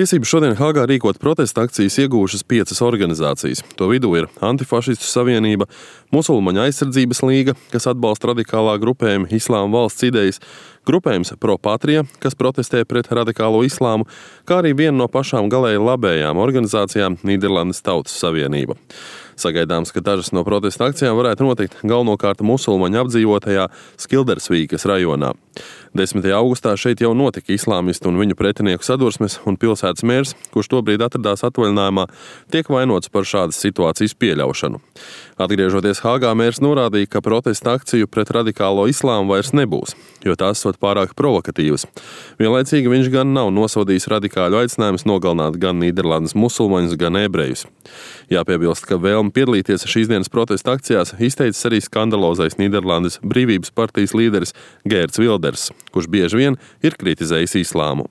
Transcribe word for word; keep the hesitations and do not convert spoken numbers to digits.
Tiesības šodien Hāgā rīkot protesta akcijas ieguvušas piecas organizācijas. To vidū ir Antifašistu savienība, Musulmaņu aizsardzības līga, kas atbalsta radikālā grupējuma Islāma valsts idejas, grupējums Pro Patria, kas protestē pret radikālo islāmu, kā arī viena no pašām galēji labējām organizācijām Nīderlandes Tautas savienība. Sagaidāms, ka dažas no protesta akcijām varētu notikt galvenokārt musulmaņu apdzīvotajā Skildersvīkas rajonā. desmitajā augustā šeit jau notika islāmistu un viņu pretinieku sadursmes, un pilsētas mērs, kurš tobrīd atradās atvaļinājumā, tiek vainots par šādas situācijas pieļaušanu. Atgriežoties Hāgā, mērs norādīja, ka protesta akciju pret radikālo islāmu vairs nebūs, jo tās esot pārāk provokatīvas. Vienlaicīgi viņš gan nav nosodījis radikāļu aicinājumus nogalināt gan Nīderlandes musulmaņus, gan ebrejus. Jāpiebilst, ka vēlmi piedalīties šīs dienas protesta akcijās izteicis arī skandalozais Nīderlandes Brīvības partijas līderis Geerts Wilders, kurš bieži vien ir kritizējis islāmu.